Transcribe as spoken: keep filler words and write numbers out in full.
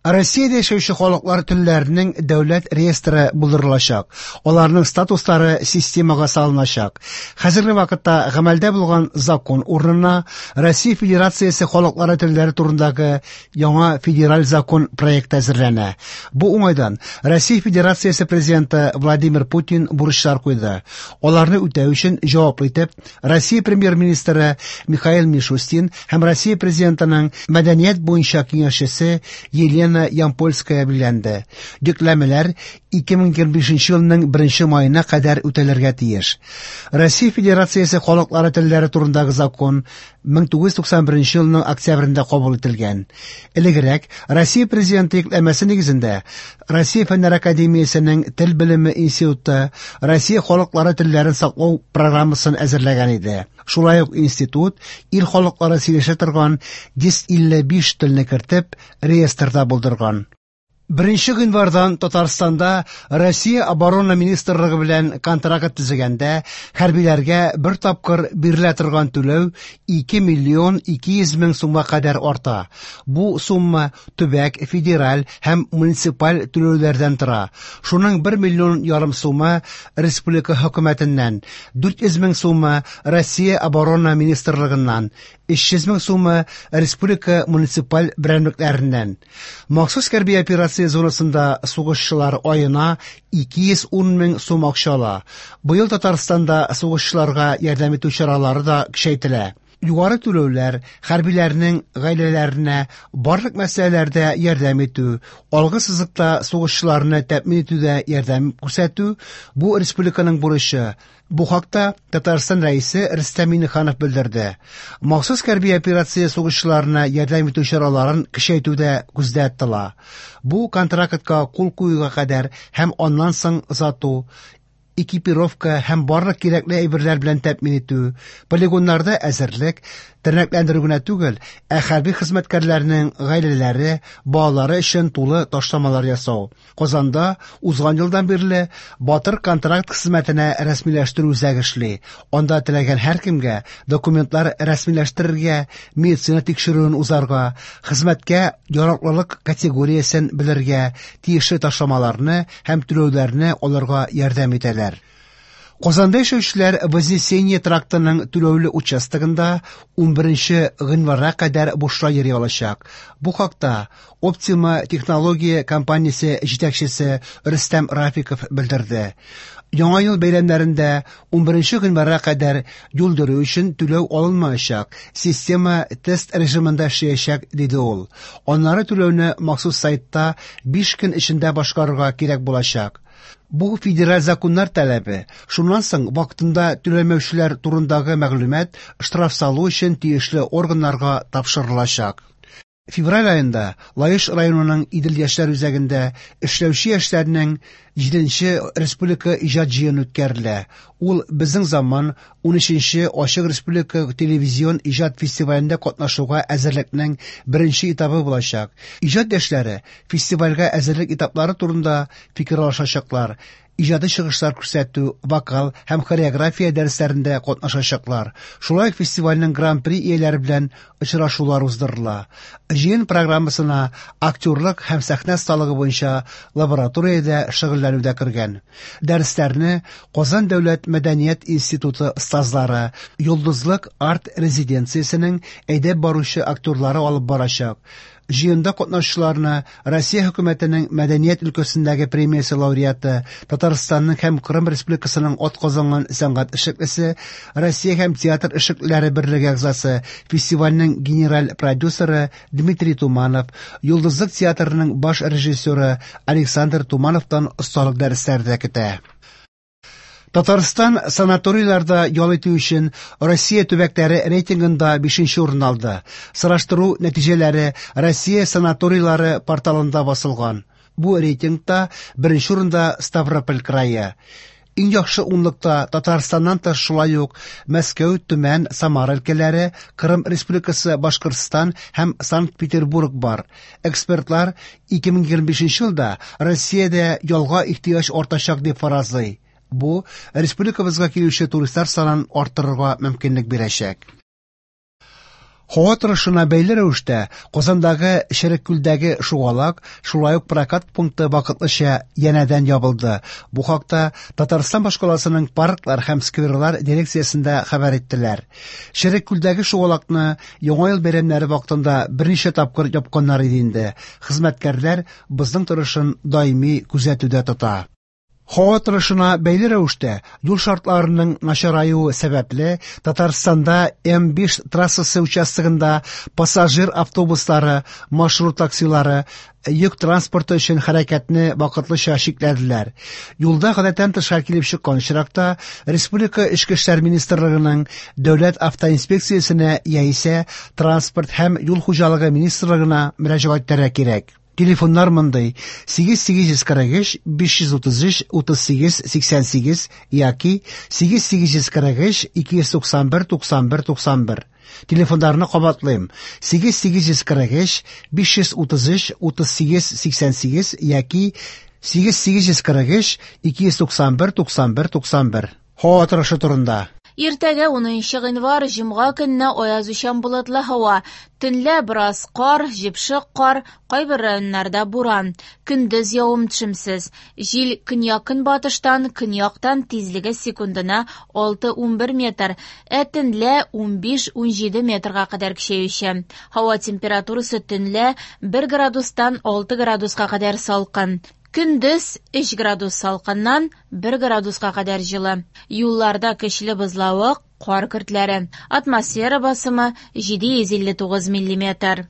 Россиядә яшәүче халыклар телләренең дәүләт реестры булдырылачак. Аларның статуслары системага салыначак. Хәзерге вакытта гамәлдә булган закон урынына Россия Федерациясе халыклары телләре турындагы яңа федераль закон проекты әзерләнә. Бу уңайдан Россия Федерациясе президенты Владимир Путин бурычлар куйды. Аларны үтәү өчен җаваплы итеп Россия премьер-министры Михаил Мишустин һәм Россия президентының мәдәният буенча киңәшчесе Елена Ямпольская билгеләнде. Йөкләмәләр ике мең егерме бишенче елның беренче маена кадәр үтәлергә тиеш. Россия Федерациясе халыклары телләре турындагы закон мең тугыз йөз туксан беренче елның октябрендә кабул ителгән. Элегрәк Россия президенты йөкләмәсе нигезендә Россия Фәннәр Академиясенең Тел белеме институты Россия халыклары телләрен саклау программасын әзерләгән иде. Шулай ук институт ил халыклары сөйләшә торган йөз илле биш телне кертеп реестрда булдырган. Беренче гыйнвардан Татарстанда Россия Оборона Министрлыгы белән контракт төзегәндә хәрбиләргә бер тапкыр бирелә торган түләү ике миллион ике йөз мең сумга кадәр арта. Бу сумма төбәк, федераль һәм муниципаль түләүләрдән тора. Шуның бер миллион ярым сумы республика хөкүмәтеннән, дүрт йөз мең сумы Россия Оборона Министрлыгыннан, өч йөз мең сумы республика муниципаль берәмлекләреннән. Махсус хәрби операция зонасында сугышчылар аена ике йөз ун мең сум акча ала. Быел Татарстанда сугышчыларга ярдәм итү чаралары да көчәйтелә. Югары түләүләр, хәрбиләрнең гаиләләренә барлык мәсьәләләрдә ярдәм итү, алгы сызыкта сугышчыларны тәэмин итүдә ярдәм күрсәтү бу республиканың бурычы. Бу хакта Татарстан рәисе Рөстәм Миңнеханов белдерде. Махсус хәрби операция сугышчыларына ярдәм итү чараларын көчәйтү дә күздә тотыла. Бу контрактка кул куюга кадәр һәм аннан соң озату, экипировка һәм барлык кирәкле әйберләр белән тәэмин итү, полигоннарда әзерлек, тернәкләндерү генә түгел, ә хәрби хезмәткәрләрнең гаиләләре, балалары өчен тулы ташламалар ясау. Казанда узган елдан бирле Батыр контракт хезмәтенә рәсмиләштерү үзәге эшли. Анда теләгән һәркемгә документлар рәсмиләштерергә, медицина тикшерүен узарга, хезмәткә яраклылык категориясен белергә, тиешле ташламаларны һәм түләүләрне алырга ярдәм итәләр. Казанда яшәүчеләр Вознесение трактының түләүле участогында унберенче гыйнварга кадәр бушлай йөри алачак. Бу хакта Optima технология компаниясе җитәкчесе Рөстәм Рафиков белдерде. Яңа ел бәйрәмнәрендә унберенче гыйнварга кадәр юл йөрү өчен түләү алынмаячак. Система тест режимында эшләячәк, диде ул. Аннары түләүне махсус сайтта биш көн эчендә башкарырга кирәк булачак. Бу федераль законнар таләбе. Шуннан соң вакытында түләмәүчеләр турындагы мәгълүмат штраф салу өчен тиешле органнарга тапшырылачак. Февраль аенда Лаеш районының Идел яшьләр үзәгендә эшләүче яшьләрнең җиденче республика иҗат җыены үткәрелә. Ул Безнең заман унөченче ачык республика телевизион иҗат фестивалендә катнашуга әзерлекнең беренче этабы булачак. Иҗат яшьләре фестивальгә әзерлек этаплары турында фикер алышачаклар. Иҗади чыгышлар күрсәтү, вокал һәм хореография дәресләрендә катнашачаклар. Шулай ук фестивальнең гран-при ияләре белән очрашулар уздырыла. Җыен программасына актерлык һәм сәхнә осталыгы буенча лабораториядә шөгыльләнү дә кергән. Дәресләрне Казан дәүләт мәдәният институты остазлары, Йолдызлык арт резиденциясенең әйдәп баручы актерлары алып барачак. Җыенда катнашучыларны Россия хөкүмәтенең мәдәният өлкәсендәге премиясе лауреаты, Татарстанның һәм Кырым Республикасының атказанган сәнгать эшлеклесе, Россия һәм театр эшлеклеләре берлеге әгъзасы, фестивальнең генераль продюсеры Дмитрий Туманов, Йолдызлык театрының баш режиссеры Александр Тумановтан осталык дәресләре дә көтә. Татарстан санаторийларда ял итү өчен Россия төбәкләре рейтингында бишенче урын алды. Сораштыру нәтиҗәләре Россия санаторийлары порталында басылган. Бу рейтингта беренче урында Ставрополь крае. Иң яхшы унлыкта Татарстаннан тыш шулай ук Мәскәү, Төмән, Самара өлкәләре, Кырым Республикасы, Башкортстан һәм Санкт-Петербург бар. Экспертлар ике мең егерме бишенче елда Россиядә ялга ихтыяҗ артачак дип фаразлый. Бу республикабызга килүче туристлар санын арттырырга мөмкинлек бирәчәк. Һава торышына бәйле рәвештә Казандагы Череккүлдәге шугалак, шулай ук прокат пункты вакытлыча янәдән ябылды. Бу хакта Татарстан башкаласының парклар һәм скверлар дирекциясендә хәбәр иттеләр. Череккүлдәге шугалакны Яңа ел бәйрәмнәре вакытында берничә тапкыр япканнар иде инде. Хезмәткәрләр бозның торышын даими күзәтүдә тота. Һава торышына бәйле рәвештә юл шартларының начараюы сәбәпле Татарстанда М биш трассасы участогында пассажир автобуслары, маршрут таксилары, йөк транспорты өчен хәрәкәтне вакытлыча чикләделәр. Юлда гадәттән тыш хәл килеп чыккан очракта Республика Эчке эшләр министрлыгының Дәүләт автоинспекциясенә яисә Транспорт һәм юл хуҗалыгы министрлыгына мөрәҗәгать итәргә кирәк. Телефоннар мондый: сигез сигез йөз кырык өч биш йөз утыз өч утыз сигез сиксән сигез яки сигез сигез йөз кырык өч ике йөз туксан бер туксан бер туксан бер. Телефоннарны кабатлыйм: сигез сигез йөз кырык өч биш йөз утыз өч утыз сигез сиксән сигез яки сигез сигез йөз кырык өч ике йөз туксан бер туксан бер туксан бер. Һава торышы турында. Иртәгә унынчы гыйнвар, җомга көнне аязучан болытлы һава. Төнлә бераз кар, җепшек кар, кайбер районнарда буран. Көндез явым-төшемсез. Җил көньяк-көнбатыштан, көньяктан тизлеге секундына алты-унбер метр, ә төнлә унбиш-унҗиде метрга кадәр көчәюче. Һава температурасы төнлә бер градустан алты градуска кадәр салкын. Көндез өч градус салкыннан бер градуска кадәр җылы. Юлларда көчле бозлавык, кар көртләре. Атмосфера басымы җиде йөз илле тугыз миллиметр.